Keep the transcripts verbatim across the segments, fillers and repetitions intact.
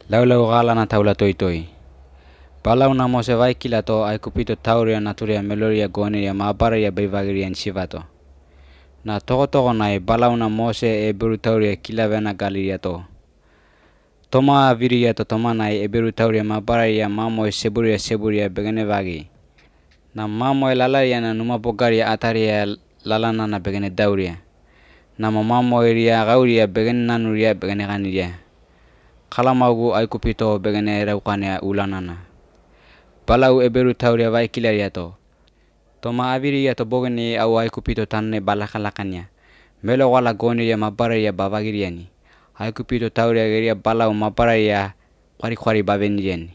Laulau galana taula toitoi. Balau na mose vaikila to aikupito tauria naturia meloria goneria mabaria beivagirian sivato. Na toko toko nai balau na mose e beru tauria kilavena galiria to. Toma viria to toma nai e beru tauria mabaria mamo e seburia seburia begene vagi. Na mamo e lalaria na numa bogaria ataria lalana na begene dauria. Na mamo e ria gauria begene nanuria begene ganiria. Kalamagu aikupito begene raukania ulanana. Balau e beru tauria vaikilaria to. Toma aviria to bogene au aikupito tanne balakalakania. Melo wala goneria mabaria bavagiriani. Aikupito tauria geria balau mabaria kwari kwari baveniriani.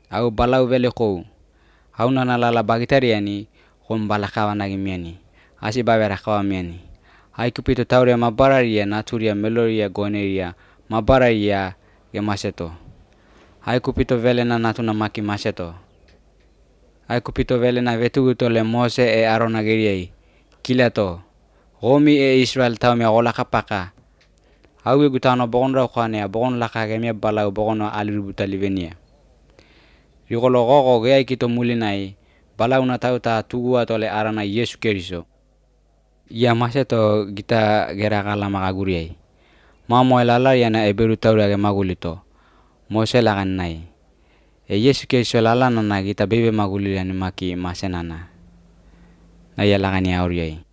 Au balau vele kou. Au nana lala bagitariani kom balakawanagimiani. Asi bavera kawamiani. Aikupito tauria mabaria naturia meloria goneria mabaria ge maseto. Aikupito vele na natuna maki maseto. Aikupito vele na vetuguto le Mose e Arona geriai. Kilato. Gomi e Israel tau mea gola kapaka. Au e gutano bogon rau kwanea bogon laka gemia balau bogono alirubuta livenia. Rigolo gogo gea kito mulinai. Balau na tau ta tugua tole Arana Yesu Keriso. Ia maseto gita gera gala magaguriai. Mamo e lalaria na e beru tauria ge magulito. Mose lagan nai. E Yesu Keriso lalana na kita bebe maguliriani maki masenana. Na ia lagani auriai.